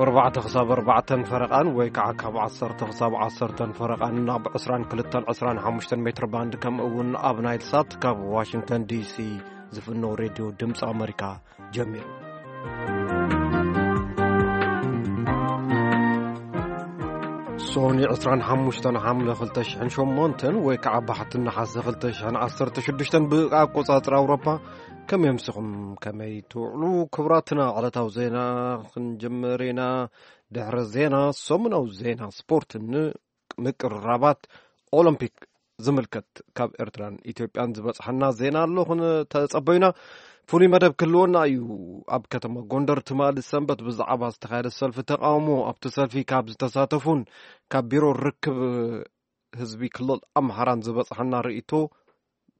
ኣርባዕተ ክሳብ ኣርባዕተን ፈረቓን ወይ ከዓ ካብ ዓሰርተ ክሳብ ዓሰርተን ፈረቓን ኣብ ዕስራን ክልተን ዕስራን ሓሙሽተን ሜትር ባንድ፣ ከምኡ እውን ኣብ ናይል ሳት ካብ ዋሽንግተን ዲሲ ዝፍኖ ሬድዮ ድምፂ ኣመሪካ ጀሚሩ። ሶኒ ዕስራን ሓሙሽተን ሓምለ ክልተ ሽሕን ሸሞንተን ወይ ከዓ ባሕቲ ነሓሰ ክልተ ሽሕን ዓሰርተ ሽዱሽተን ብኣቆፃፅራ ኣውሮፓ። ከመይ ኣምሲኹም? ከመይ ትውዕሉ? ክቡራትና ዕለታዊ ዜና ክንጅምር ኢና። ድሕሪ ዜና ሰሙናዊ ዜና ስፖርትን ምቅርራባት ኦሎምፒክ ዝምልከት ካብ ኤርትራን ኢትዮጵያን ዝበጽሐና ዜና ኣሎ፣ ተጸበዩና። ፍሉይ መደብ ክህልወና እዩ። ኣብ ከተማ ጎንደር ትማሊ ሰንበት ብዛዕባ ዝተኻየደ ሰልፊ ተቃውሞ፣ ኣብቲ ሰልፊ ካብ ዝተሳተፉን ካብ ቢሮ ርክብ ህዝቢ ክልል ኣምሓራን ዝበጽሐና ርእይቶ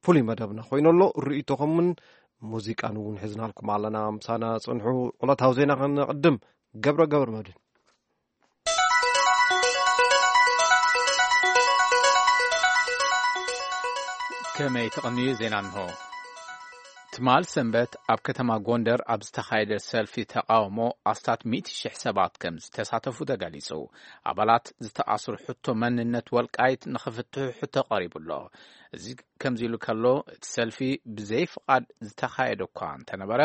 ፍሉይ መደብና ኮይኑ ኣሎ። ርእይቶኹምን ሙዚቃን እውን ሒዝናልኩም ኣለና። ምሳና ጽንሑ። ዕለታዊ ዜና ክንቅድም። ገብረ ገብረ መድህን። ከመይ ተቐንዩ ዜና እንሆ። ትማል ሰንበት ኣብ ከተማ ጎንደር ኣብ ዝተኻየደ ሰልፊ ተቃውሞ ኣስታት ሚእቲ ሽሕ ሰባት ከም ዝተሳተፉ ተገሊጹ። ኣባላት ዝተኣስሩ ሕቶ መንነት ወልቃይት ንኽፍትሑ ሕቶ ቀሪቡ ኣሎ። እዚ ከምዚ ኢሉ ከሎ፣ እቲ ሰልፊ ብዘይ ፍቓድ ዝተኻየደ እኳ እንተነበረ፣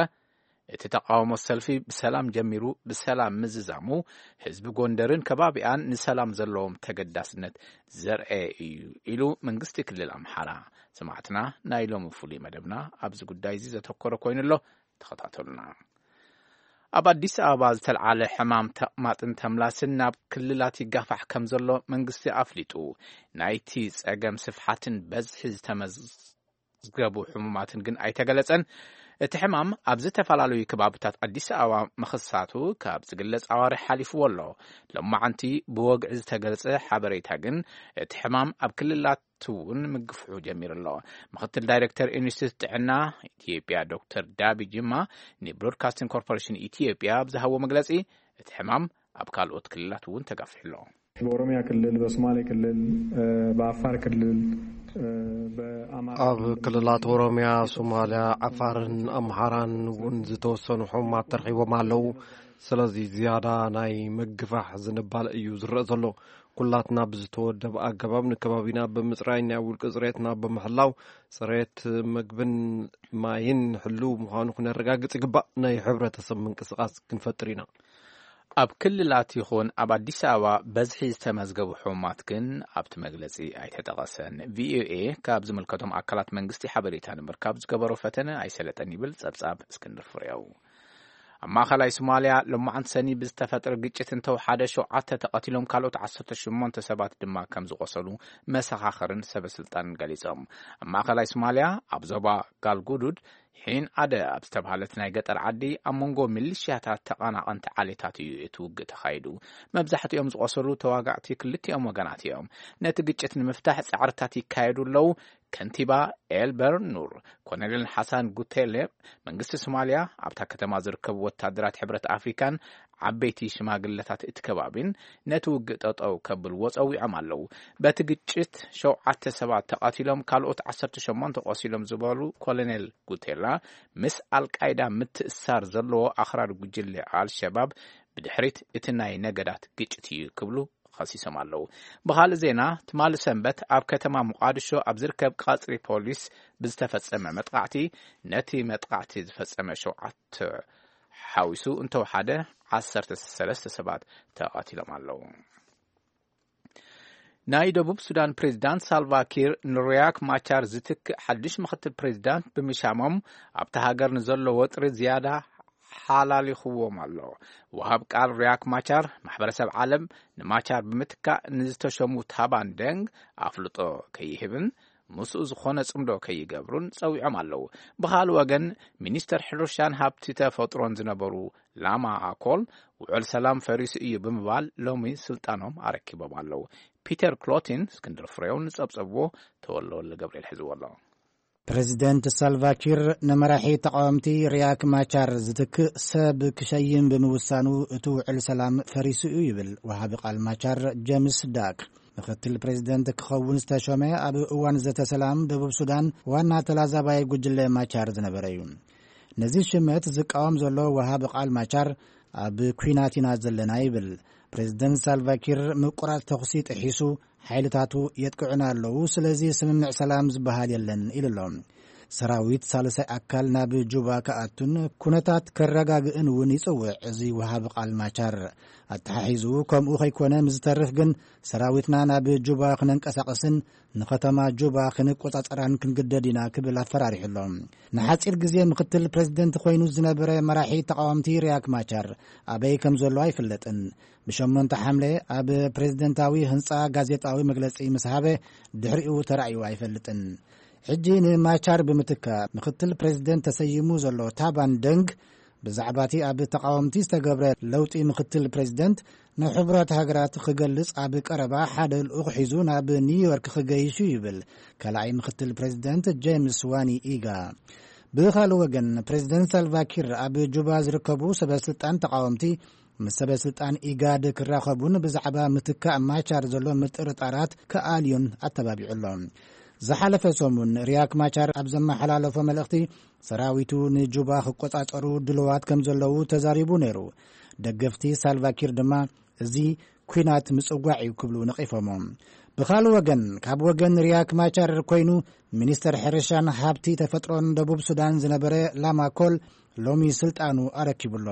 እቲ ተቃውሞ ሰልፊ ብሰላም ጀሚሩ ብሰላም ምዝዛሙ፣ ህዝቢ ጎንደርን ከባቢኣን ንሰላም ዘለዎም ተገዳስነት ዘርአየ እዩ ኢሉ መንግስቲ ክልል ኣምሓራ። ሰማዕትና፣ ናይ ሎሚ ፍሉይ መደብና ኣብዚ ጉዳይ እዚ ዘተኮረ ኮይኑ ኣሎ። ተኸታተሉና። ኣብ ኣዲስ ኣበባ ዝተልዓለ ሕማም ተቕማጥን ተምላስን ናብ ክልላት ይጋፋሕ ከም ዘሎ መንግስቲ ኣፍሊጡ። ናይቲ ጸገም ስፍሓትን በዝሒ ዝተመዝገቡ ሕሙማትን ግን ኣይተገለጸን። እቲ ሕማም ኣብ ዝተፈላለዩ ከባብታት ኣዲስ ኣበባ ምኽሳቱ ካብ ዝግለጽ ኣዋርሕ ሓሊፍዎ ኣሎ። ሎማዓንቲ ብወግዒ ዝተገለጸ ሓበሬታ ግን፣ እቲ ሕማም ኣብ ክልላት እውን ምግፍሑ ጀሚሩ ኣሎ። ምኽትል ዳይሬክተር ኢንስቲትዩት ጥዕና ኢትዮጵያ ዶክተር ዳቢ ጅማ ንብሮድካስቲንግ ኮርፖሬሽን ኢትዮጵያ ኣብ ዝሃቦ መግለጺ፣ እቲ ሕማም ኣብ ካልኦት ክልላት እውን ተጋፊሑ ኣሎ። በኦሮሚያ ክልል፣ በሶማሌ ክልል፣ እ፣ በአፋር ክልል፣ እ፣ በአማራ ኣብ ክልል። ክልላት ኦሮሚያ፣ ሶማሊያ፣ ዓፋርን ኣምሓራን እውን ዝተወሰኑ ሕሙማት ተረኺቦም ኣለዉ። ስለዚ ዝያዳ ናይ ምግፋሕ ዝንባለ እዩ ዝረአ ዘሎ። ኩላትና ብዝተወደበ ኣገባብ ንከባቢና ብምጽራይ፣ ናይ ውልቂ ጽሬትና ብምሕላው፣ ጽሬት ምግብን ማይን ሕሉው ምዃኑ ክነረጋግጽ ይግባእ። ናይ ሕብረተሰብ ምንቅስቓስ ክንፈጥር ኢና። ኣብ ክልላት ይኹን ኣብ ኣዲስ ኣበባ በዝሒ ዝተመዝገቡ ሕሙማት ግን ኣብቲ መግለጺ ኣይተጠቐሰን። ቪኦኤ ካብ ዝምልከቶም ኣካላት መንግስቲ ሓበሬታ ንምርካብ ዝገበሮ ፈተነ ኣይሰለጠን ይብል ጸብጻብ እስክንድር ፍሬው። ኣብ ማእኸላይ ሶማልያ፣ ሎማዓንቲ ሰኒ ብዝተፈጥረ ግጭት እንተወሓደ ሸውዓተ ተቐቲሎም፣ ካልኦት ዓሰርተ ሸሞንተ ሰባት ድማ ከም ዝቖሰሉ መሰኻኽርን ሰበ ስልጣንን ገሊጾም። ኣብ ማእኸላይ ሶማልያ፣ ኣብ ዞባ ጋልጉዱድ፣ ሒን ኣደ ኣብ ዝተባህለት ናይ ገጠር ዓዲ፣ ኣብ መንጎ ሚሊሽያታት ተቐናቐንቲ ዓሌታት እዩ እቲ ውግእ ተኻይዱ። መብዛሕትኦም ዝቖሰሉ ተዋጋእቲ ክልቲኦም ወገናት እዮም። ነቲ ግጭት ንምፍታሕ ጻዕርታት ይካየዱ ኣለዉ። ከንቲባ ኤልበር ኑር፣ ኮሎኔል ሓሳን ጉቴሌ፣ መንግስቲ ሶማልያ ኣብታ ከተማ ዝርከቡ ወታደራት ሕብረት ኣፍሪካን ዓበይቲ ሽማግለታት እቲ ከባቢን ነቲ ውግእ ጠጠው ከብልዎ ጸዊዖም ኣለዉ። በቲ ግጭት ሸውዓተ ሰባት ተቐቲሎም፣ ካልኦት ዓሰርተ ሸሞንተ ቆሲሎም ዝበሉ ኮሎኔል ጉቴላ፣ ምስ ኣልቃይዳ ምትእሳር ዘለዎ ኣኽራሪ ጉጅለ ኣልሸባብ ብድሕሪት እቲ ናይ ነገዳት ግጭት እዩ ክብሉ ከሲሶም ኣለዉ። ብኻልእ ዜና፣ ትማሊ ሰንበት ኣብ ከተማ ሞቓድሾ ኣብ ዝርከብ ቀጽሪ ፖሊስ ብዝተፈጸመ መጥቃዕቲ፣ ነቲ መጥቃዕቲ ዝፈጸመ ሸውዓተ ሓዊሱ እንተወሓደ ዓሰርተ ሰለስተ ሰባት ተቐቲሎም ኣለዉ። ናይ ደቡብ ሱዳን ፕሬዝዳንት ሳልቫ ኪር ንሪያክ ማቻር ዝትክእ ሓድሽ ምኽትል ፕሬዝዳንት ብምሻሞም፣ ኣብቲ ሃገር ንዘሎ ወጥሪ ዝያዳ ሓላሊኽዎም ኣሎ። ወሃብ ቃል ሪያክ ማቻር፣ ማሕበረሰብ ዓለም ንማቻር ብምትካእ ንዝተሸሙ ታባን ደንግ ኣፍልጦ ከይህብን ምስኡ ዝኾነ ጽምዶ ከይገብሩን ጸዊዖም ኣለዉ። ብኻልእ ወገን፣ ሚኒስተር ሕርሻን ሃብቲ ተፈጥሮን ዝነበሩ ላማ ኣኮል፣ ውዕል ሰላም ፈሪሱ እዩ ብምባል ሎሚ ስልጣኖም ኣረኪቦም ኣለዉ። ፒተር ክሎቲን፣ እስክንድር ፍሬው ንጸብጸብዎ፣ ተወልደወልደ ገብርኤል ሒዝዎ ኣሎ። ፕሬዚደንት ሳልቫኪር ንመራሒ ተቃወምቲ ሪያክ ማቻር ዝትክእ ሰብ ክሸይም ብምውሳኑ፣ እቲ ውዕል ሰላም ፈሪሱ እዩ ይብል ወሃቢ ቃል ማቻር ጀምስ ዳክ። ምክትል ፕሬዚደንት ክኸውን ዝተሾመ ኣብ እዋን ዘተ ሰላም ደቡብ ሱዳን ዋና ተላዛባይ ጉጅለ ማቻር ዝነበረ እዩ። ነዚ ሽመት ዝቃወም ዘሎ ወሃቢ ቃል ማቻር፣ ኣብ ኲናት ኢና ዘለና ይብል። ፕሬዝደንት ሳልቫኪር ምቁራጽ ተኹሲ ጥሒሱ ሓይልታቱ የጥቅዑና ኣለዉ፣ ስለዚ ስምምዕ ሰላም ዝበሃል የለን ኢሉ ኣሎ። ሰራዊት ሳልሳይ ኣካል ናብ ጁባ ክኣቱን ኩነታት ከረጋግእን እውን ይጽውዕ እዚ ወሃቢ ቃል ማቻር። ኣተሓሒዙ ከምኡ ከይኮነ ምስ ዝተርፍ ግን ሰራዊትና ናብ ጁባ ክነንቀሳቐስን ንኸተማ ጁባ ክንቆጻጸራን ክንግደድ ኢና ክብል ኣፈራሪሑ ኣሎ። ንሓጺር ግዜ ምክትል ፕሬዝደንት ኮይኑ ዝነበረ መራሒ ተቃወምቲ ሪያክ ማቻር ኣበይ ከም ዘሎ ኣይፍለጥን። ብሸሞንተ ሓምለ ኣብ ፕሬዝደንታዊ ህንጻ ጋዜጣዊ መግለጺ ምስ ሃበ ድሕሪኡ ተራእዩ ኣይፈልጥን። ሕጂ ንማቻር ብምትካ ምክትል ፕሬዝደንት ተሰይሙ ዘሎ ታባን ደንግ ብዛዕባቲ ኣብ ተቃወምቲ ዝተገብረ ለውጢ ምክትል ፕሬዝደንት ንሕቡራት ሃገራት ክገልጽ ኣብ ቀረባ ሓደ ልኡኽ ሒዙ ናብ ኒውዮርክ ክገይሹ ይብል ካልኣይ ምክትል ፕሬዝደንት ጄምስ ዋኒ ኢጋ። ብኻልእ ወገን ፕሬዝደንት ሳልቫኪር ኣብ ጁባ ዝርከቡ ሰበስልጣን ተቃወምቲ ምስ ሰበስልጣን ኢጋድ ክራኸቡን ብዛዕባ ምትካእ ማቻር ዘሎ ምጥርጣራት ክኣልዩን ኣተባቢዑ ኣሎ። ዝሓለፈ ሰሙን ሪያክ ማቻር ኣብ ዘመሓላለፎ መልእኽቲ ሰራዊቱ ንጁባ ክቆጻጸሩ ድልዋት ከም ዘለዉ ተዛሪቡ ነይሩ። ደገፍቲ ሳልቫኪር ድማ እዚ ኲናት ምጽዋዕ እዩ ክብሉ ነቒፎሞ። ብኻልእ ወገን ካብ ወገን ሪያክ ማቻር ኮይኑ ሚኒስተር ሕርሻን ሃብቲ ተፈጥሮን ደቡብ ሱዳን ዝነበረ ላማ ኮል ሎሚ ስልጣኑ ኣረኪቡ ኣሎ።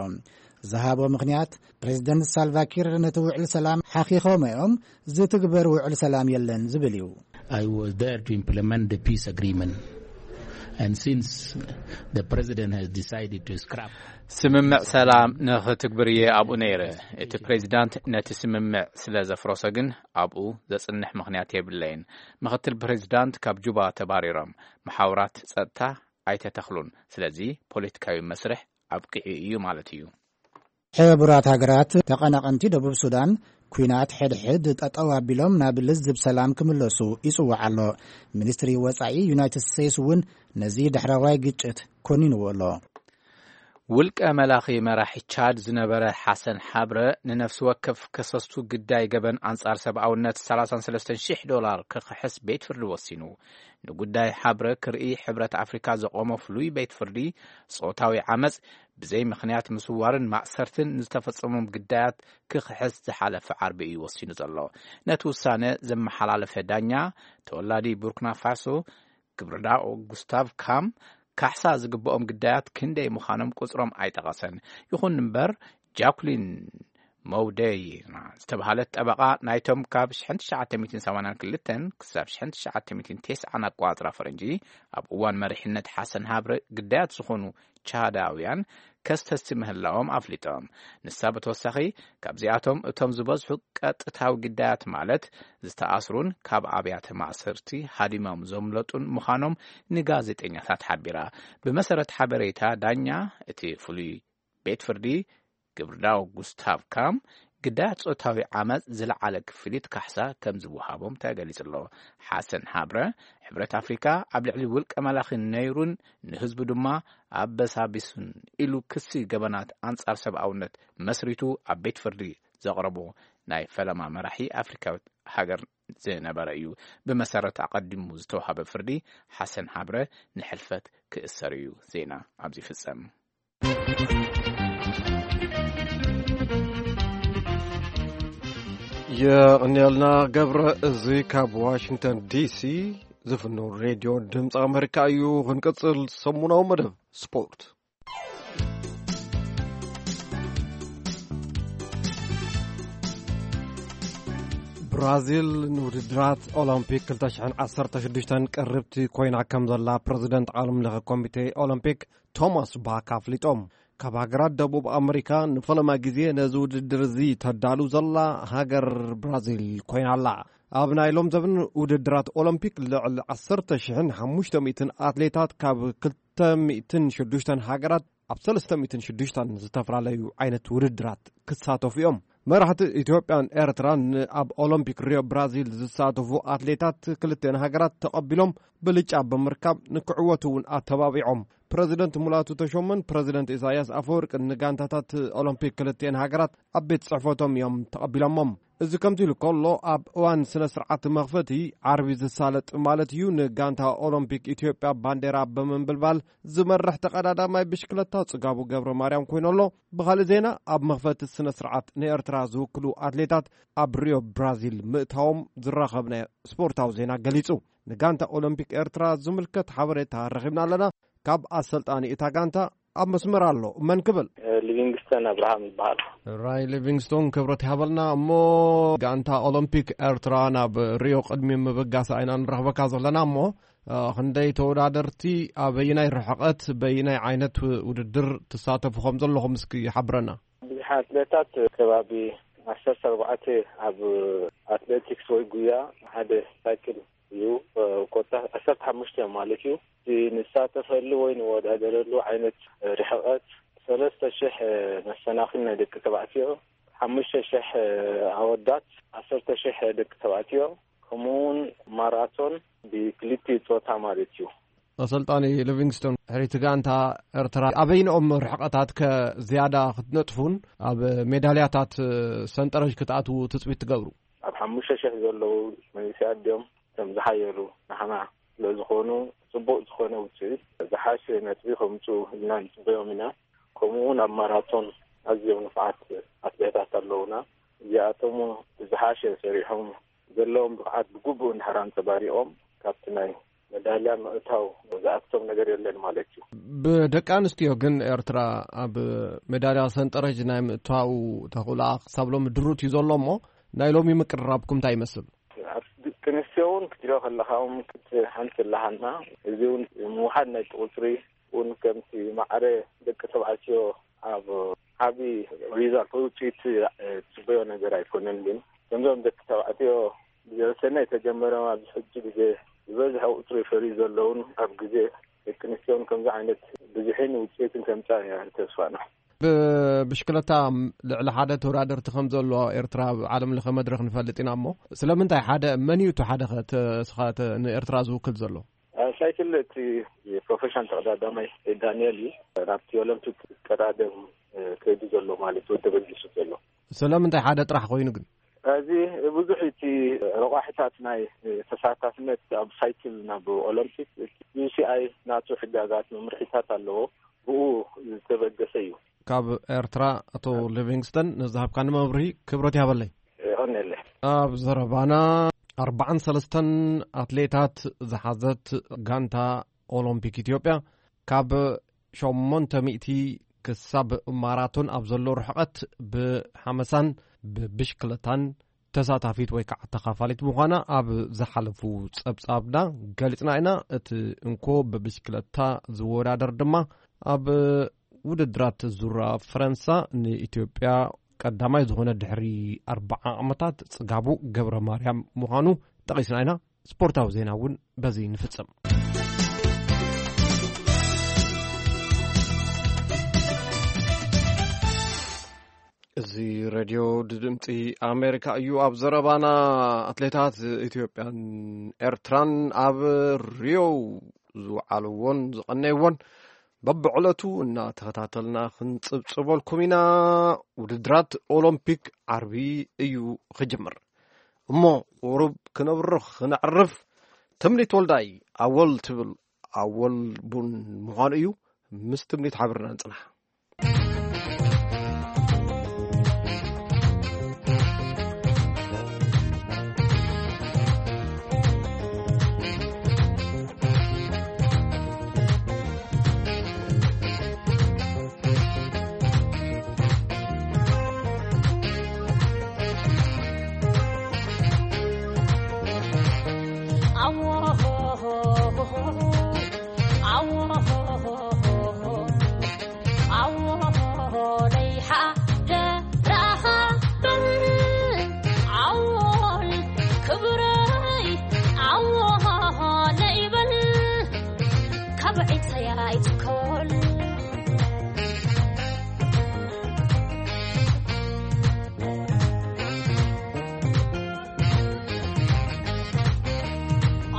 ዝሃቦ ምኽንያት ፕሬዝደንት ሳልቫኪር ነቲ ውዕል ሰላም ሓኺኾም እዮም፣ ዝትግበር ውዕል ሰላም የለን ዝብል እዩ። I was there to implement the peace agreement. And since the president has decided to scrap. ስምምዕ ሰላም ንኽትግብር እየ ኣብኡ ነይረ። እቲ ፕሬዚዳንት ነቲ ስምምዕ ስለ ዘፍረሶ ግን ኣብኡ ዘጽንሕ ምኽንያት የብለይን። ምኽትል ፕሬዚዳንት ካብ ጁባ ተባሪሮም፣ መሓውራት ጸጥታ ኣይተተኽሉን። ስለዚ ፖለቲካዊ መስርሕ ኣብቂዑ እዩ ማለት እዩ። ሕቡራት ሃገራት ተቐናቐንቲ ደቡብ ሱዳን ኲናት ሕድሕድ ጠጠው ኣቢሎም ናብ ልዝብ ሰላም ክምለሱ ይጽውዕ ኣሎ። ሚኒስትሪ ወጻኢ ዩናይትድ ስቴትስ እውን ነዚ ዳሕረዋይ ግጭት ኮኒንዎ ኣሎ። ውልቀ መላኺ መራሒ ቻድ ዝነበረ ሓሰን ሓብረ ንነፍሲ ወከፍ ከሰስቱ ግዳይ ገበን ኣንጻር ሰብኣውነት ሰላሳን ሰለስተን ሽሕ ዶላር ክኽሕስ ቤት ፍርዲ ወሲኑ። ንጉዳይ ሓብረ ክርኢ ሕብረት ኣፍሪካ ዘቆሞ ፍሉይ ቤት ፍርዲ ጾታዊ ዓመፅ ብዘይ ምኽንያት ምስዋርን ማእሰርትን ንዝተፈጸሞም ግዳያት ክኽሕስ ዝሓለፈ ዓርቢ እዩ ወሲኑ ዘሎ። ነቲ ውሳነ ዘመሓላለፈ ዳኛ ተወላዲ ቡርኪና ፋሶ ግብርዳኦ ጉስታቭ ካም ካሕሳ ዝግብኦም ግዳያት ክንደይ ምዃኖም ቁጽሮም ኣይጠቐሰን። ይኹን እምበር ጃኩሊን መውደይና ዝተባህለት ጠበቓ ናይቶም ካብ ሽሕን ትሽዓተ ሚእትን ሰማንያን ክልተን ክሳብ ሽሕን ትሽዓተ ሚእትን ተስዓን ኣቋጽራ ፈረንጂ ኣብ እዋን መሪሕነት ሓሰን ሃብረ ግዳያት ዝኾኑ ቻዳውያን ከስተሲ ምህላዎም ኣፍሊጦም። ንሳ ብተወሳኺ ካብዚኣቶም እቶም ዝበዝሑ ቀጥታዊ ግዳያት ማለት ዝተኣስሩን ካብ ኣብያተ ማእሰርቲ ሃዲሞም ዘምለጡን ምዃኖም ንጋዜጠኛታት ሓቢራ። ብመሰረት ሓበሬታ ዳኛ እቲ ፍሉይ ቤት ፍርዲ ግብርዳው ጉስታቭ ካም ግዳያት ጾታዊ ዓመፅ ዝለዓለ ክፍሊት ካሕሳ ከም ዝወሃቦም ተገሊጹ ኣሎ። ሓሰን ሃብረ ሕብረት ኣፍሪካ ኣብ ልዕሊ ውልቀ መላኺ ነይሩን ንህዝቡ ድማ ኣበሳቢሱን ኢሉ ክሲ ገበናት ኣንጻር ሰብኣውነት መስሪቱ ኣብ ቤት ፍርዲ ዘቕረቦ ናይ ፈለማ መራሒ ኣፍሪካዊት ሃገር ዝነበረ እዩ። ብመሰረት ኣቐዲሙ ዝተዋሃበ ፍርዲ ሓሰን ሃብረ ንሕልፈት ክእሰር እዩ። ዜና ኣብዚ ይፍጸም። የቕንየልና ገብረ። እዚ ካብ ዋሽንግተን ዲሲ ዝፍኖ ሬድዮ ድምፂ ኣመሪካ እዩ። ክንቅፅል ሰሙናዊ መደብ ስፖርት። ብራዚል ንውድድራት ኦሎምፒክ ክልተ ሽሕን ዓሰርተ ሽዱሽተን ቅርብቲ ኮይና ከም ዘላ ፕረዚደንት ዓለም ለኸ ኮሚቴ ኦሎምፒክ ቶማስ ባክ ኣፍሊጦም። ካብ ሃገራት ደቡብ ኣመሪካ ንፈለማ ግዜ ነዚ ውድድር እዚ ተዳሉ ዘላ ሃገር ብራዚል ኮይና ኣላ። ኣብ ናይ ሎም ዘበን ውድድራት ኦሎምፒክ ልዕሊ ዓሰርተ ሽሕን ሓሙሽተ ሚእትን ኣትሌታት ካብ ክልተ ሚእትን ሽዱሽተን ሃገራት ኣብ ሰለስተ ሚእትን ሽዱሽተን ዝተፈላለዩ ዓይነት ውድድራት ክሳተፉ እዮም። መራሕቲ ኢትዮጵያን ኤርትራን ኣብ ኦሎምፒክ ሪዮ ብራዚል ዝሳተፉ ኣትሌታት ክልተን ሃገራት ተቐቢሎም ብልጫ ብምርካብ ንክዕወቱ እውን ኣተባቢዖም። ፕረዚደንት ሙላቱ ተሾመን ፕረዚደንት ኢሳያስ ኣፈወርቅን ንጋንታታት ኦሎምፒክ ክልቲኤን ሃገራት ኣብ ቤት ጽሕፈቶም እዮም ተቐቢሎሞም። እዚ ከምዚ ኢሉ ከሎ፣ ኣብ እዋን ስነ ስርዓት መኽፈቲ ዓርቢ ዝሳለጥ ማለት እዩ፣ ንጋንታ ኦሎምፒክ ኢትዮጵያ ባንዴራ ብምንብልባል ዝመርሕ ተቐዳዳማይ ብሽክለታ ጽጋቡ ገብረ ማርያም ኮይኑ ኣሎ። ብኻልእ ዜና፣ ኣብ መኽፈቲ ስነ ስርዓት ንኤርትራ ዝውክሉ ኣትሌታት ኣብ ሪዮ ብራዚል ምእታዎም ዝራኸብናዮ ስፖርታዊ ዜና ገሊጹ። ንጋንታ ኦሎምፒክ ኤርትራ ዝምልከት ሓበሬታ ረኺብና ኣለና። ካብ ኣሰልጣኒ እታ ጋንታ ኣብ መስመር ኣሎ። መን ክብል? ሊቪንግስተን ኣብርሃም ይበሃል። ራይ ሊቪንግስቶን፣ ክብረት ይሃበልና። እሞ ጋንታ ኦሎምፒክ ኤርትራ ናብ ሪዮ ቅድሚ ምብጋስ ኣይና ንረኽበካ ዘለና። እሞ እ፣ ክንደይ ተወዳደርቲ፣ ኣበይናይ ርሕቐት፣ በይናይ ዓይነት ውድድር ትሳተፉ ከም ዘለኹም እስኪ ሓብረና። ብዙሕ ኣትሌታት፣ ከባቢ ዓሰርተ ኣርባዕተ ኣብ ኣትሌቲክስ ወይ ጉያ፣ ሓደ ሳይክል እዩ። እ፣ ኮታ ዓሰርተ ሓሙሽተ ማለት እዩ። እቲ ንሳተፈሉ ወይ ንወዳደረሉ ዓይነት ርሕቐት፣ ሰለስተ ሽሕ መሰናኽል ናይ ደቂ ተባዕትዮ፣ ሓሙሽተ ሽሕ ኣወዳት፣ ዓሰርተ ሽሕ ደቂ ተባዕትዮ፣ ከምኡ እውን ማራቶን ብክልቲኡ ጾታ ማለት እዩ። ኣሰልጣኒ ሊቪንግስቶን፣ ሕሪቲ ጋንታ ኤርትራ ኣበይንኦም ርሕቐታት ከ ዝያዳ ክትነጥፉን ኣብ ሜዳልያታት ሰንጠረዥ ክትኣትዉ ትጽቢት ትገብሩ? ኣብ ሓሙሽተ ሽሕ ዘለዉ መንእሰያት ድዮም እቶም ዝሓየሉ? ንሕና ስለ ዝኾኑ፣ ጽቡቕ ዝኾነ ውጽኢት፣ ዝሓሸ ነጥቢ ከምጽኡ ኢልና ንጽበዮም ኢና። ከምኡ እውን ኣብ ማራቶን ኣዝዮም ንፉዓት ኣትሌታት ኣለዉና። እዚኣቶም ዝሓሸ ሰሪሖም፣ ዘለዎም ብቕዓት ብግቡእ እንድሕር ኣንጸባሪቖም፣ ካብቲ ናይ መዳልያ ምእታው ዝኣክቶም ነገር የለን ማለት እዩ። ብደቂ ኣንስትዮ ግን ኤርትራ ኣብ መዳልያ ሰንጠረዥ ናይ ምእታው ተኽእሎኣ ክሳብ ሎሚ ድሩት እዩ ዘሎ። እሞ ናይ ሎሚ ምቅርራብኩም እንታይ ይመስል? ኣብ ደቂ ኣንስትዮ እውን ክትሪኦ ከለኻ እውን ክት-፣ ሓንቲ ኣለሃና። እዚ እውን ምውሓድ ናይ ቁጽሪ እውን ከምቲ ማዕረ ደቂ ተባዕትዮ ኣብ ዓቢ ሪዛልት ወይ ውፅኢት፣ እ፣ ትፅበዮ ነገር ኣይኮነን። ግን ከምዞም ደቂ ተባዕትዮ ብዘበሰና የተጀመረ ኣብዚ ሕጂ ግዜ ዝበዝሐ ቁፅሪ ፈርዩ ዘለውን ኣብ ግዜ ደቂ ኣንስትዮን ከምዚ ዓይነት ብዝሒን ውፅኢትን ከምፃ እያ ተስፋና። ብብሽክለታ ልዕሊ ሓደ ተወዳደርቲ ከም ዘሎ ኤርትራ ኣብ ዓለም ለኸ መድረኽ ንፈልጥ ኢና። እሞ ስለምንታይ ሓደ፣ መን እዩ እቲ ሓደ ኸ ተ-፣ ስኻ ተ-፣ ንኤርትራ ዝውክል ዘሎ? ኣብ ሳይክል እቲ ፕሮፌሽናል ተቐዳዳማይ ዳንኤል እዩ። ናብቲ ኦሎምፒክ ቀዳደም ከይዱ ዘሎ ማለት እዩ፣ ተበጊሱ ዘሎ። ስለምንታይ ሓደ ጥራሕ ኮይኑ ግን? እዚ ብዙሕ እቲ ረቋሒታት ናይ ተሳታፍነት ኣብ ሳይክል ናብ ኦሎምፒክ ዩ ሲ ኣይ ናቱ ሕጋጋት መምርሒታት ኣለዎ፣ ብኡ ዝተበገሰ እዩ። ካብ ኤርትራ ኣቶ ሊቪንግስተን ንዝሃብካኒ መብርሂ ክብረት ይሃበለይ። የቐንየለይ። ኣብ ዘረባና ኣርባዓን ሰለስተን ኣትሌታት ዝሓዘት ጋንታ ኦሎምፒክ ኢትዮጵያ ካብ ሸሞንተ ሚእቲ ክሳብ ማራቶን ኣብ ዘሎ ርሕቐት ብሓመሳን ብብሽክለታን ተሳታፊት ወይ ከዓ ተኻፋሊት ምዃና ኣብ ዝሓለፉ ጸብጻብና ገሊጽና ኢና። እቲ እንኮ ብብሽክለታ ዝወዳደር ድማ ኣብ ውድድራት ዙራ ፈረንሳ ንኢትዮጵያ ቀዳማይ ዝኾነ ድሕሪ ኣርብዓ ዓመታት ጽጋቡ ገብረ ማርያም ምዃኑ ጠቒስና ኢና። ስፖርታዊ ዜና እውን በዚ ንፍጽም። እዚ ሬድዮ ድምፂ ኣሜሪካ እዩ። ኣብ ዘረባና ኣትሌታት ኢትዮጵያን ኤርትራን ኣብ ሪዮ ዝወዓልዎን ዝቐነይዎን በብዕለቱ እናተኸታተልና ክንጽብጽበልኩም ኢና። ውድድራት ኦሎምፒክ ዓርቢ እዩ ክጅምር። እሞ ቁሩብ ክነብርኽ ክነዕርፍ፣ ትምኒት ወልዳይ ኣወል ትብል ኣወል ቡን ምዃኑ እዩ። ምስ ትምኒት ሓቢርና ንጽናሕ።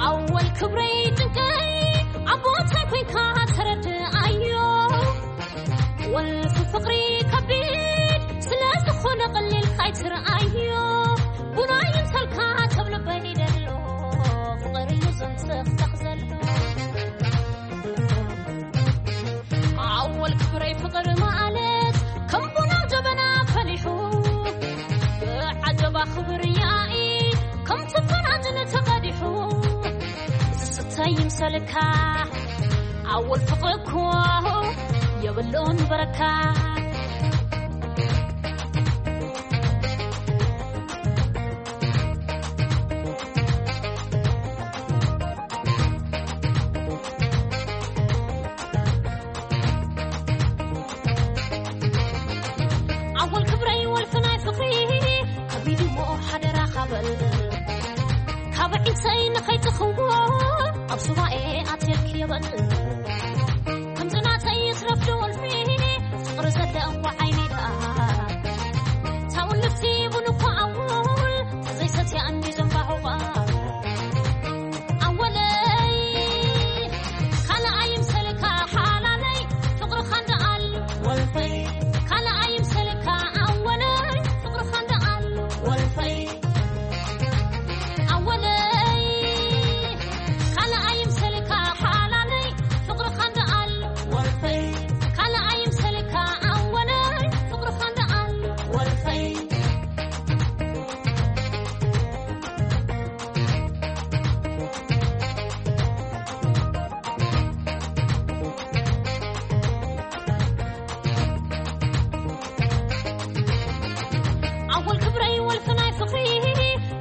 ኣወል ክብረይ ጭንቀይ ኣብ ቦታይ ኮይንካ ተረድኣይ። ይምሰልካ ኣወል ፍቕሪ እኮ የብሉን በረካ። ኣወል ክብረይ ወልፊ ናይ ፍቕሪ ከቢዱ እሞ ሓደራኻ በል። ካብ ዒሰይ ንኸይትኽዎ ኣብ ሱባኤ ኣትየልክ የበል። ከምዚ ናተይ ይትረፍ ዶ ወልፊ ፍቕሪ ዘለዋ ዓይነይ ደኣ። ታውን ልፍቲ ቡን እኳ ኣውል ተዘይሰትያ እንዲ ዘንባሁቓ። ኣወለይ ካልኣይ ምሰልካ ሓላለይ ፍቕርኻ እንደኣል ወልፈይ። ካልኣይ ምሰልካ ኣወለይ ፍቕርኻ እንደኣል ወልፈይ። ኣወለይ ካልኣይ ምሰልካ ሓላለይ ፍቕርኻ እንደኣል ወልፈይ። ካልኣይ ምሰልካ ኣወለይ ፍቕርኻ እንደኣል ወልፈይ። ኣወል ክብረይ ወልፊ ናይ ፍቕሪ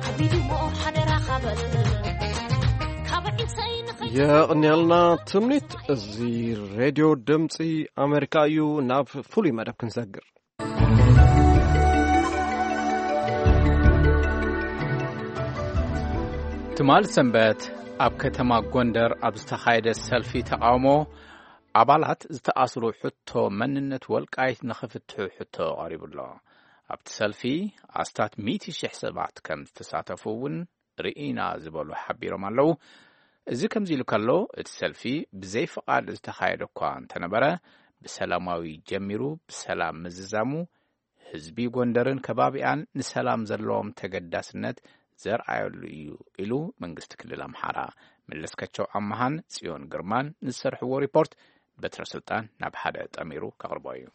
ከቢዱ እሞ ሓደራኻ በል። ካብ ዒሰይ ንኸይ የቕንየልና ትምኒት። እዚ ሬድዮ ድምፂ ኣሜሪካ እዩ። ናብ ፍሉይ መደብ ክንሰግር። ትማል ሰንበት ኣብ ከተማ ጎንደር ኣብ ዝተኻየደ ሰልፊ ተቃውሞ ኣባላት ዝተኣስሩ ሕቶ መንነት ወልቃይት ንኽፍትሑ ሕቶ ቀሪቡ ኣሎ። ኣብቲ ሰልፊ ኣስታት ሚእቲ ሽሕ ሰባት ከም ዝተሳተፉ እውን ርኢና ዝበሉ ሓቢሮም ኣለዉ። እዚ ከምዚ ኢሉ ከሎ፣ እቲ ሰልፊ ብዘይ ፍቓድ ዝተኻየደ እኳ እንተነበረ፣ ብሰላማዊ ጀሚሩ ብሰላም ምዝዛሙ፣ ህዝቢ ጎንደርን ከባቢኣን ንሰላም ዘለዎም ተገዳስነት ዘርኣየሉ እዩ ኢሉ መንግስቲ ክልል ኣምሓራ። መለስካቸው ኣመሃን ጽዮን ግርማን ዝሰርሕዎ ሪፖርት በትረ ስልጣን ናብ ሓደ ጠሚሩ ከቕርቦ እዩ።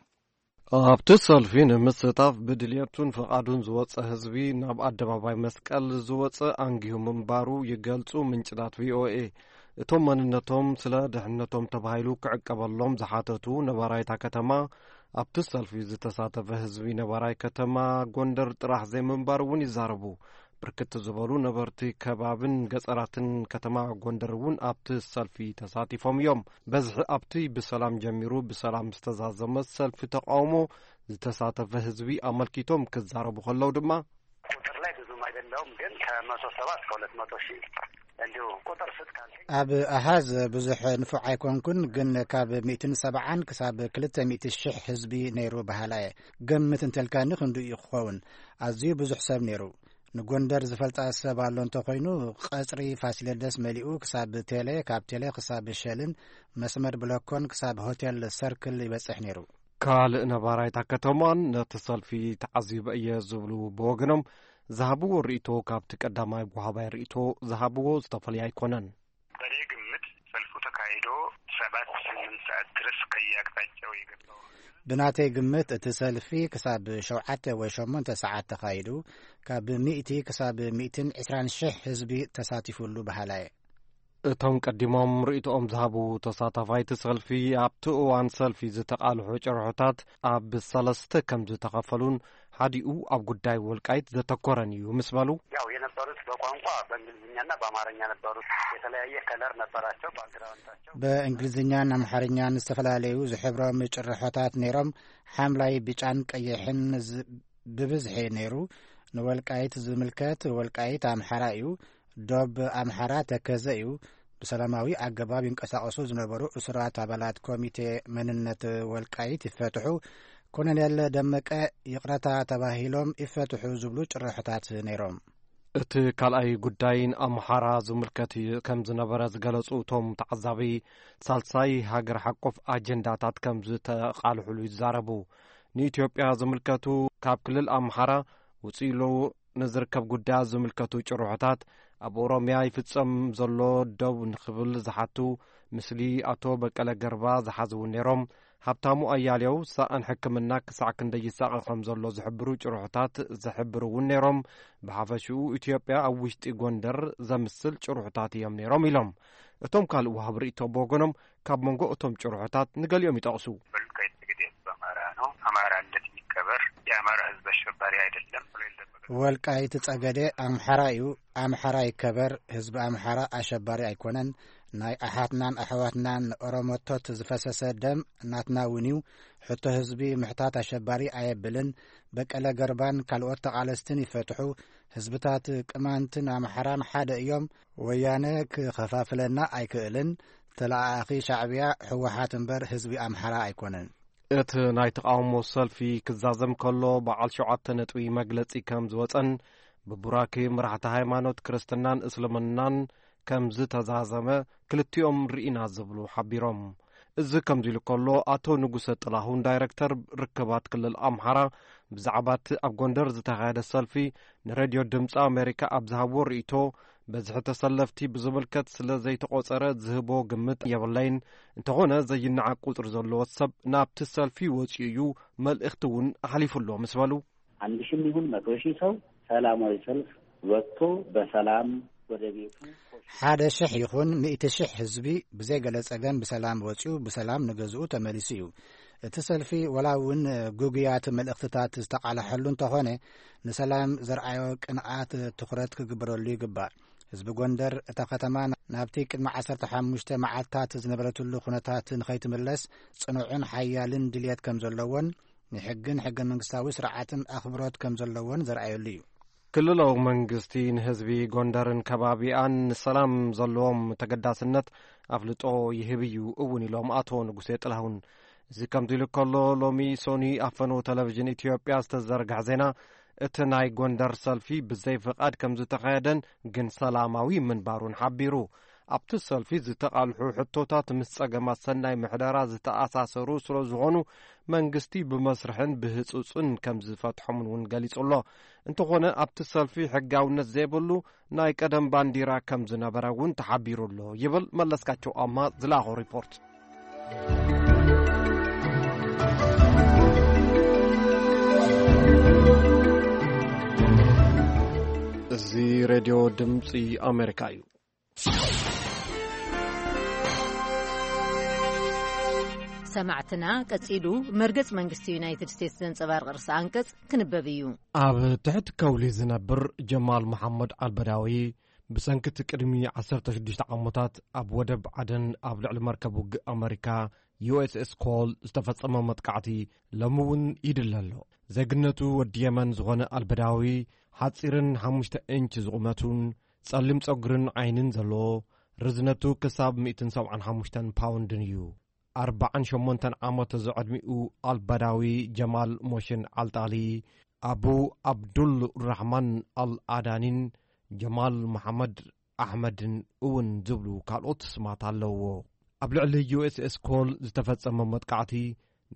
ኣብቲ ሰልፊ ንምስታፍ ብድልየቱን ፍቓዱን ዝወጸ ህዝቢ ናብ ኣደባባይ መስቀል ዝወጸ ኣንጊሁ ምንባሩ ይገልጹ ምንጭታት ቪኦኤ። እቶም መንነቶም ስለ ድሕነቶም ተባሂሉ ክዕቀበሎም ዝሓተቱ ነባራይታ ከተማ፣ ኣብቲ ሰልፊ ዝተሳተፈ ህዝቢ ነባራይ ከተማ ጎንደር ጥራሕ ዘይምንባሩ እውን ይዛረቡ። ብርክት ዝበሉ ነበርቲ ከባብን ገጸራትን ከተማ ጎንደር እውን ኣብቲ ሰልፊ ተሳቲፎም እዮም። በዝሒ ኣብቲ ብሰላም ጀሚሩ ብሰላም ዝተዛዘመ ሰልፊ ተቃውሞ ዝተሳተፈ ህዝቢ ኣመልኪቶም ክዛረቡ ከለዉ ድማ፣ ቁጥር ላይ ብዙም አይደለውም፣ ግን ከመቶ ሰባ እስከ ሁለት መቶ ሺህ እንዲሁ ቁጥር ስጥ ካልከኝ። ኣብ ኣሃዝ ብዙሕ ንፉዕ ኣይኮንኩን፣ ግን ካብ ሚእትን ሰብዓን ክሳብ ክልተ ሚእቲ ሽሕ ህዝቢ ነይሩ በሃላ እየ። ግምት እንተልካኒ ክንዱ እዩ ክኸውን። ኣዝዩ ብዙሕ ሰብ ነይሩ። ንጎንደር ዝፈልጣ ሰብ ኣሎ እንተኾይኑ፣ ቀጽሪ ፋሲለደስ መሊኡ ክሳብ ቴሌ፣ ካብ ቴሌ ክሳብ ሸልን መስመር ብለኮን ክሳብ ሆቴል ሰርክል ይበጽሕ ነይሩ። ካልእ ነባራይታ ከተማን ነቲ ሰልፊ ተዓዚበ እየ ዝብሉ ብወገኖም ዝሃብዎ ርእይቶ ካብቲ ቀዳማይ ወሃባይ ርእይቶ ዝሃብዎ ዝተፈልየ ኣይኮነን። በእኔ ግምት ሰልፉ ተካሂዶ ሰባት ስምንት ሰዓት ድረስ ከየአቅጣጫው የገባው። ብናተይ ግምት እቲ ሰልፊ ክሳብ ሸውዓተ ወይ ሸሞንተ ሰዓት ተኻይዱ፣ ካብ ሚእቲ ክሳብ ሚእትን ዕስራን ሽሕ ህዝቢ ተሳቲፉሉ በሃላ እየ። እቶም ቀዲሞም ርእይቶኦም ዝሃቡ ተሳታፋይቲ ሰልፊ፣ ኣብቲ እዋን ሰልፊ ዝተቓልሑ ጭርሖታት ኣብ ሰለስተ ከም ዝተኸፈሉን ሓዲኡ ኣብ ጉዳይ ወልቃይት ዘተኮረን እዩ ምስ በሉ፣ ያው የነበሩት በቋንቋ በእንግሊዝኛና በአማርኛ ነበሩ። የተለያየ ከለር ነበራቸው ባክግራውንዳቸው። በእንግሊዝኛን ኣምሓርኛን ዝተፈላለዩ ዝሕብሮም ጭርሖታት ነይሮም። ሓምላይ፣ ብጫን ቀይሕን ዝ-፣ ብብዝሒ ነይሩ። ንወልቃይት ዝምልከት ወልቃይት ኣምሓራ እዩ። ዶብ ኣምሓራ ተከዘ እዩ። ብሰላማዊ ኣገባብ ይንቀሳቐሱ ዝነበሩ እሱራት ኣባላት ኮሚቴ መንነት ወልቃይት ይፈትሑ፣ ኮሎኔል ደመቀ ይቕረታ ተባሂሎም ይፈትሑ ዝብሉ ጭርሖታት ነይሮም። እቲ ካልኣይ ጉዳይ ንኣምሓራ ዝምልከት እዩ ከም ዝነበረ ዝገለጹ እቶም ተዓዛቢ፣ ሳልሳይ ሃገር ሓቆፍ ኣጀንዳታት ከም ዝተቓልሕሉ ይዛረቡ። ንኢትዮጵያ ዝምልከቱ ካብ ክልል ኣምሓራ ውጽእ ኢሉ ንዝርከብ ጉዳያት ዝምልከቱ ጭርሖታት ኣብ ኦሮምያ ይፍጸም ዘሎ ደው ንኽብል ዝሓቱ፣ ምስሊ ኣቶ በቀለ ገርባ ዝሓዙ እውን ነይሮም። ሃብታሙ ኣያሌው ሳእን ሕክምና ክሳዕ ክንደይ ይሳቐ ከም ዘሎ ዝሕብሩ ጭርሖታት ዝሕብሩ እውን ነይሮም። ብሓፈሽኡ ኢትዮጵያ ኣብ ውሽጢ ጎንደር ዘምስል ጭርሖታት እዮም ነይሮም ኢሎም። እቶም ካልእ ወሃቢ ርእይቶ ብወገኖም፣ ካብ መንጎ እቶም ጭርሖታት ንገሊኦም ይጠቕሱ። ወልቃይት ጠገዴ ህዝብ አማራ ነው። አማራነት ይከበር። የአማራ ህዝብ አሸባሪ አይደለም ብሎ የለም። ወልቃይት ጸገዴ ኣምሓራ እዩ። ኣምሓራ ይከበር። ህዝቢ ኣምሓራ ኣሸባሪ ኣይኮነን። ናይ ኣሓትናን ኣሕዋትናን ኦሮሞቶት ዝፈሰሰ ደም ናትና እውን እዩ። ሕቶ ህዝቢ ምሕታት ኣሸባሪ ኣየብልን። በቀለ ገርባን ካልኦት ተቓለስትን ይፈትሑ። ህዝብታት ቅማንትን ኣምሓራን ሓደ እዮም። ወያነ ክኸፋፍለና ኣይክእልን። ተለኣኣኺ ሻዕብያ፣ ህወሓት እምበር ህዝቢ ኣምሓራ ኣይኮነን። እቲ ናይ ተቓውሞ ሰልፊ ክዛዘም ከሎ፣ በዓል ሸውዓተ ነጥቢ መግለጺ ከም ዝወጸን፣ ብቡራኬ መራሕቲ ሃይማኖት ክርስትናን እስልምናን ከም ዝተዛዘመ ክልቲኦም ርኢና ዝብሉ ሓቢሮም። እዚ ከምዚ ኢሉ ከሎ፣ ኣቶ ንጉሰ ጥላሁን፣ ዳይረክተር ርክባት ክልል ኣምሓራ፣ ብዛዕባ እቲ ኣብ ጎንደር ዝተኻየደ ሰልፊ ንሬድዮ ድምፂ ኣሜሪካ ኣብ ዝሃብዎ ርእይቶ፣ በዝሒ ተሰለፍቲ ብዝምልከት ስለ ዘይተቖጸረ ዝህቦ ግምት የብለይን። እንተኾነ፣ ዘይነዓቕ ቁጽሪ ዘለዎ ሰብ ናብቲ ሰልፊ ወጺኡ እዩ፣ መልእኽቲ እውን ኣሕሊፉ ኣሎ ምስ በሉ፣ አንድ ሺህም ይሁን መቶ ሺህ ሰው ሰላማዊ ሰልፍ ወጥቶ በሰላም ወደ ቤቱ ሓደ ሽሕ ይኹን ሚእቲ ሽሕ ህዝቢ ብዘይገለ ጸገም ብሰላም ወጺኡ ብሰላም ንገዝኡ ተመሊሱ እዩ። እቲ ሰልፊ ወላ እውን ግጉያት መልእኽትታት ዝተቓልሐሉ እንተኾነ፣ ንሰላም ዘርኣዮ ቅንኣት ትኹረት ክግበረሉ ይግባእ። ህዝቢ ጎንደር፣ እታ ከተማ ናብቲ ቅድሚ ዓሰርተ ሓሙሽተ መዓልታት ዝነበረትሉ ኩነታት ንኸይትምለስ ጽኑዕን ሓያልን ድልየት ከም ዘለዎን ንሕግን ሕገ መንግስታዊ ስርዓትን ኣኽብሮት ከም ዘለዎን ዘርኣየሉ እዩ። ክልላዊ መንግስቲ ንህዝቢ ጎንደርን ከባቢኣን ንሰላም ዘለዎም ተገዳስነት ኣፍልጦ ይህብ እዩ እውን ኢሎም ኣቶ ንጉሴ ጥላሁን። እዚ ከምዚ ኢሉ ከሎ፣ ሎሚ ሶኒ ኣብ ፈነው ቴሌቪዥን ኢትዮጵያ ዝተዘርግሐ ዜና፣ እቲ ናይ ጎንደር ሰልፊ ብዘይ ፍቓድ ከም ዝተኻየደን ግን ሰላማዊ ምንባሩን ሓቢሩ። ኣብቲ ሰልፊ ዝተቓልሑ ሕቶታት ምስ ጸገማት ሰናይ ምሕደራ ዝተኣሳሰሩ ስለ ዝኾኑ፣ መንግስቲ ብመስርሕን ብህጹጽን ከም ዝፈትሖምን እውን ገሊጹ ኣሎ። እንተኾነ፣ ኣብቲ ሰልፊ ሕጋውነት ዘይብሉ ናይ ቀደም ባንዲራ ከም ዝነበረ እውን ተሓቢሩ ኣሎ ይብል መለስካቸው ኣማ ዝለኣኾ ሪፖርት። እዚ ሬድዮ ድምፂ ኣሜሪካ እዩ። ሰማዕትና፣ ቀጺሉ መርገጽ መንግስቲ ዩናይትድ ስቴትስ ዘንጸባርቕ ርእሰ ኣንቀጽ ክንበብ እዩ። ኣብ ትሕቲ ከውሊ ዝነብር ጀማል መሓመድ ኣልበዳዊ፣ ብሰንኪ እቲ ቅድሚ ዓሰርተ ሽዱሽተ ዓመታት ኣብ ወደብ ዓደን ኣብ ልዕሊ መርከብ ውግእ ኣመሪካ ዩ ኤስ ኤስ ኮል ዝተፈጸመ መጥቃዕቲ፣ ሎሚ እውን ይድለ ኣሎ። ዜግነቱ ወዲ የመን ዝኾነ ኣልበዳዊ፣ ሓጺርን ሓሙሽተ ኢንች ዝቑመቱን ጸሊም ጸጉርን ዓይንን ዘለዎ፣ ርዝነቱ ክሳብ ሚእትን ሰብዓን ሓሙሽተን ፓውንድን እዩ። ኣርባዓን ሸሞንተን ዓመት ዝዕድሚኡ ኣልባዳዊ ጀማል ሞሽን ኣልጣሊ፣ ኣቡ ኣብዱል ራሕማን ኣልኣዳኒን ጀማል መሓመድ ኣሕመድን እውን ዝብሉ ካልኦት ስማት ኣለውዎ። ኣብ ልዕሊ ዩ ኤስ ኤስ ኮል ዝተፈጸመ መጥቃዕቲ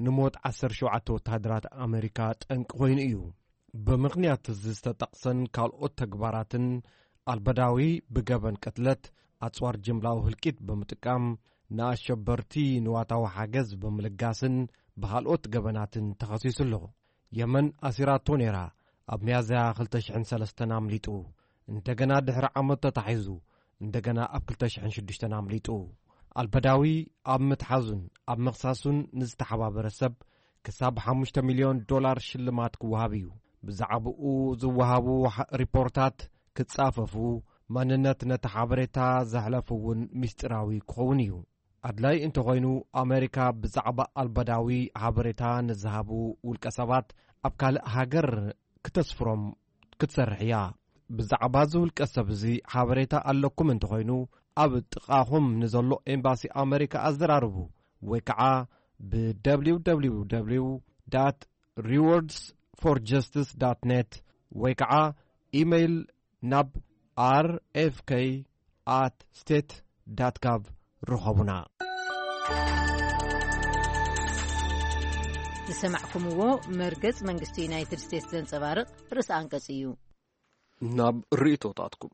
ንሞት ዓሰርተ ሸውዓተ ወተሃደራት ኣመሪካ ጠንቂ ኮይኑ እዩ። ብምኽንያት እዚ ዝተጠቕሰን ካልኦት ተግባራትን፣ ኣልበዳዊ ብገበን ቅትለት፣ ኣጽዋር ጅምላዊ ህልቂት ብምጥቃም፣ ንኣሸበርቲ ንዋታዊ ሓገዝ ብምልጋስን ብኻልኦት ገበናትን ተኸሲሱ ኣሎ። የመን ኣሲራቶ ነይራ። ኣብ ሚያዝያ ክልተ ሽሕን ሰለስተን ኣምሊጡ። እንደገና ድሕሪ ዓመት ተታሒዙ፣ እንደገና ኣብ ክልተ ሽሕን ሽዱሽተን ኣምሊጡ። ኣልበዳዊ ኣብ ምትሓዙን ኣብ ምኽሳሱን ንዝተሓባበረ ሰብ ክሳብ ሓሙሽተ ሚልዮን ዶላር ሽልማት ክወሃብ እዩ። ብዛዕባኡ ዝወሃቡ ሓ-፣ ሪፖርታት ክጻፈፉ፣ መንነት ነቲ ሓበሬታ ዘሕለፉ እውን ምስጢራዊ ክኸውን እዩ። ኣድላይ እንተኾይኑ፣ ኣመሪካ ብዛዕባ ኣልበዳዊ ሓበሬታ ንዝሃቡ ውልቀ ሰባት ኣብ ካልእ ሃገር ክተስፍሮም ክትሰርሕ እያ። ብዛዕባ እዚ ውልቀ ሰብ እዚ ሓበሬታ ኣለኩም እንተኾይኑ፣ ኣብ ጥቓኹም ንዘሎ ኤምባሲ ኣመሪካ ኣዘራርቡ፣ ወይ ከዓ ብ ደብሊው ደብሊው ደብሊው ዳት ሪዎርድስ ፎር ጀስቲስ ዳት ኔት ወይ ከዓ ኢሜይል ናብ ኣር ኤፍ ኬ ኣት ስቴት ዳት ጋቭ ርኸቡና። ዝሰማዕኩምዎ መርገጽ መንግስቲ ዩናይትድ ስቴትስ ዘንጸባርቕ ርእሰ ኣንቀጽ እዩ። ናብ ርእይቶታትኩም።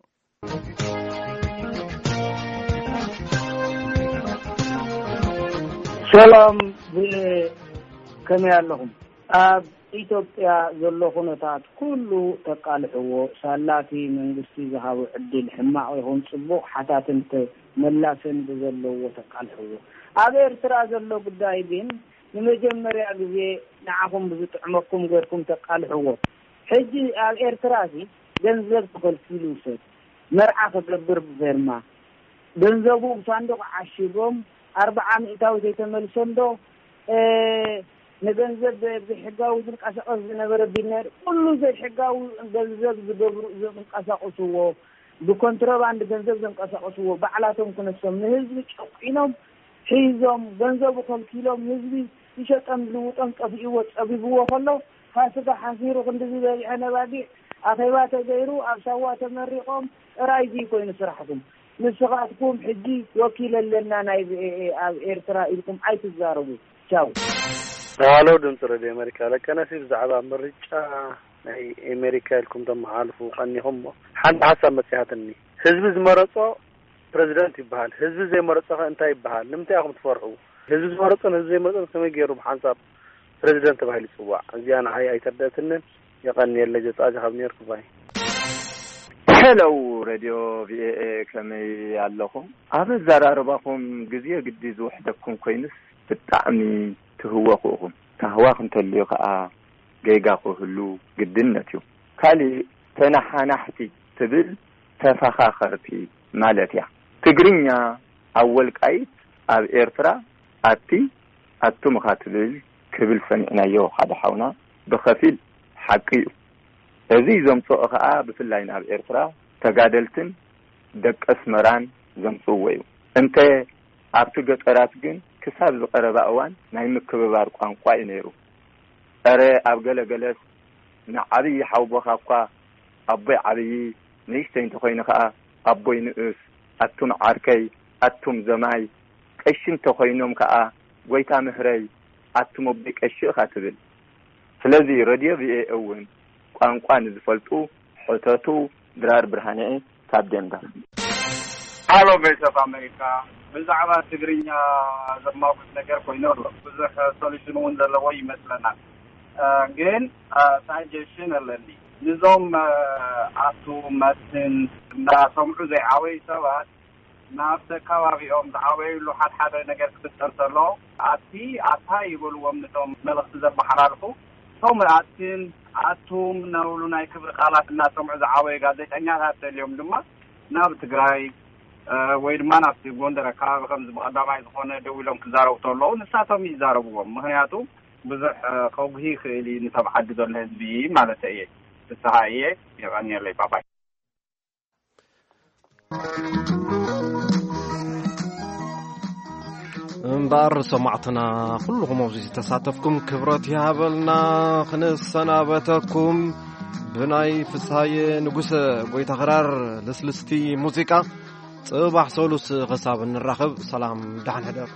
ሰላም፣ ብ-፣ ከመይ ኣለኹም? ኣብ ኢትዮጵያ ዘሎ ኩነታት ኩሉ ተቃልሕዎ፣ ሳላቲ መንግስቲ ዝሃቦ ዕድል ሕማቕ ይኹን ጽቡቕ ሓታትን ተ-፣ መላሰኒ ብዘለዎ ተቃልሕዎ። ኣብ ኤርትራ ዘሎ ጉዳይ ግን ንመጀመርያ ግዜ ንዓኹም ብዝጥዕመኩም ገርኩም ተቃልሕዎ። ሕጂ ኣብ ኤርትራ እዚ ገንዘብ ተኸልኪሉ፣ ሰብ መርዓ ክገብር ብፌርማ ገንዘቡ ብሳንዱቕ ዓሺጎም ኣርብዓ ሚእታዊ ዘይተመልሰ እንዶ፣ እ፣ ንገንዘብ ብሕጋዊ ዝንቀሳቐስ ዝነበረ ቢልነር፣ ኩሉ ዘይሕጋዊ ገንዘብ ዝገብሩ፣ ዝንቀሳቐስዎ፣ ብኮንትሮባንድ ገንዘብ ዘንቀሳቐስዎ ባዕላቶም ክነሶም ንህዝቢ ጨቂኖም ሒዞም፣ ገንዘቡ ከልኪሎም፣ ህዝቢ ይሸጦም ልውጦም ጠፊእዎ ጸቢብዎ ከሎ፣ ፋሲካ ሓሲሩ ክንድዚ በዚሐ ነባጊዕ ኣኼባ ተገይሩ ኣብ ሳዋ ተመሪቖም ጥራይ እዚ ኮይኑ ስራሕኩም። ንስኻትኩም ሕጂ ወኪል ኣለና ናይ ቪኦኤ ኣብ ኤርትራ ኢልኩም ኣይትዛረቡ። ቻው። ሃሎ ድምፂ ሬድዮ ኣሜሪካ፣ ለቀነሲ ብዛዕባ ምርጫ ናይ ኣሜሪካ ኢልኩም ተመሓልፉ ቀኒኹም እሞ ሓንቲ ሓሳብ መፅያትኒ። ህዝቢ ዝመረፆ ፕሬዚደንት ይበሃል። ህዝቢ ዘይመረፆ ከ እንታይ ይበሃል? ንምንታይ ኢኹም ትፈርሑ? ህዝቢ ዝመረፆን ህዝቢ ዘይመረፆን ከመይ ገይሩ ብሓንሳብ ፕሬዚደንት ተባሂሉ ይፅዋዕ? እዚኣ ንዓይ ኣይተርደእትንን። የቐንየለይ። ዘፃዚ ካብ ኔርኩ ባይ። ሄሎ ሬድዮ ቪኦኤ፣ ከመይ ኣለኹም? ኣብ ኣዘራርባኹም ግዜ ግዲ ዝውሕደኩም ኮይኑስ ብጣዕሚ ትህወኹ ኢኹም። ታህዋኽ እንተልዩ ከኣ ጌጋ ክህሉ ግድነት እዩ። ካሊእ ተነሓናሕቲ ትብል ተፈኻኸርቲ ማለት እያ። ትግርኛ ኣብ ወልቃይት ኣብ ኤርትራ ኣቲ ኣቱም ኢኻ ትብል ክብል ሰሚዕናዮ ሓደ ሓውና ብኸፊል ሓቂ እዩ። እዚ ዘምጽኦ ከኣ ብፍላይ ናብ ኤርትራ ተጋደልትን ደቂ ኣስመራን ዘምጽእዎ እዩ። እንተ ኣብቲ ገጠራት ግን ክሳብ ዝቐረባ እዋን ናይ ምክብባር ቋንቋ እዩ ነይሩ። እረ ኣብ ገለ ገለስ ንዓብዪ ሓውቦኻ እኳ ኣቦይ ዓብዪ፣ ንእሽተይ እንተኾይኑ ኸኣ ኣቦይ ንኡስ፣ ኣቱም ዓርከይ፣ ኣቱም ዘማይ፣ ቀሺ እንተኾይኖም ከኣ ጎይታ ምህረይ፣ ኣቱም ኣቦይ ቀሺ ኢኻ ትብል። ስለዚ ረድዮ ቪኦኤ እውን ቋንቋ ንዝፈልጡ ሕተቱ። ድራር ብርሃነ ካብ ዴንቨር። ሃሎ ቮይስ ኦፍ ኣሜሪካ፣ ብዛዕባ ትግርኛ ዘማጉት ነገር ኮይኑ ኣሎ። ብዙሕ ሶሉሽን እውን ዘለዎ ይመስለናል። እ፣ ግን፣ እ፣ ሳጀሽን ኣለኒ። ንዞም፣ እ፣ ኣቱ መትን እንዳሰምዑ ዘይዓበዩ ሰባት ናብቲ ከባቢኦም ዝዓበዩሉ ሓደ ሓደ ነገር ክፍጠር ከሎ ኣቲ ኣታ ይበልዎም። ንቶም መልእኽቲ ዘመሓላልፉ እቶም ኣትን ኣቱም እናበሉ ናይ ክብሪ ቃላት እናሰምዑ ዝዓበዩ ጋዜጠኛታት ተልዮም ድማ ናብ ትግራይ፣ እ፣ ወይ ድማ ናብቲ ጎንደር ኣከባቢ ከምዚ ብቐዳማይ ዝኾነ ደው ኢሎም ክዛረቡ ከለዉ ንሳቶም ይዛረብዎም። ምኽንያቱ ብዙሕ፣ እ፣ ከጉሂ ይኽእል እዩ ንተብ ዓዲ ዘሎ ህዝቢ ማለት እየ። ፍስሃ እየ። የቐንየለይ። ባባይ። እምበኣር ሰማዕትና ኩልኹም ኣብዚ ዝተሳተፍኩም ክብረት ይሃበልና። ክንሰናበተኩም ብናይ ፍስሃየ ንጉሰ ጎይታ ክራር ልስልስቲ ሙዚቃ። ጽባሕ ሰሉስ ክሳብ እንራኸብ ሰላም፣ ደሓን ሕደር።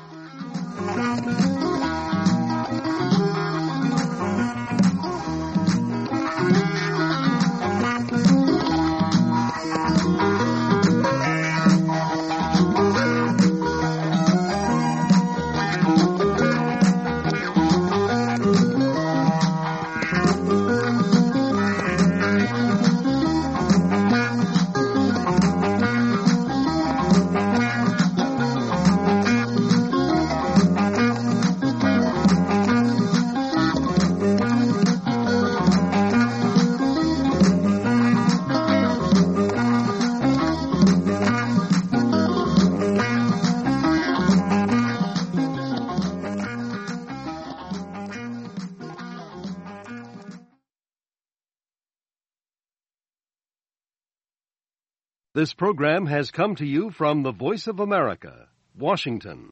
This program has come to you from the Voice of America, Washington.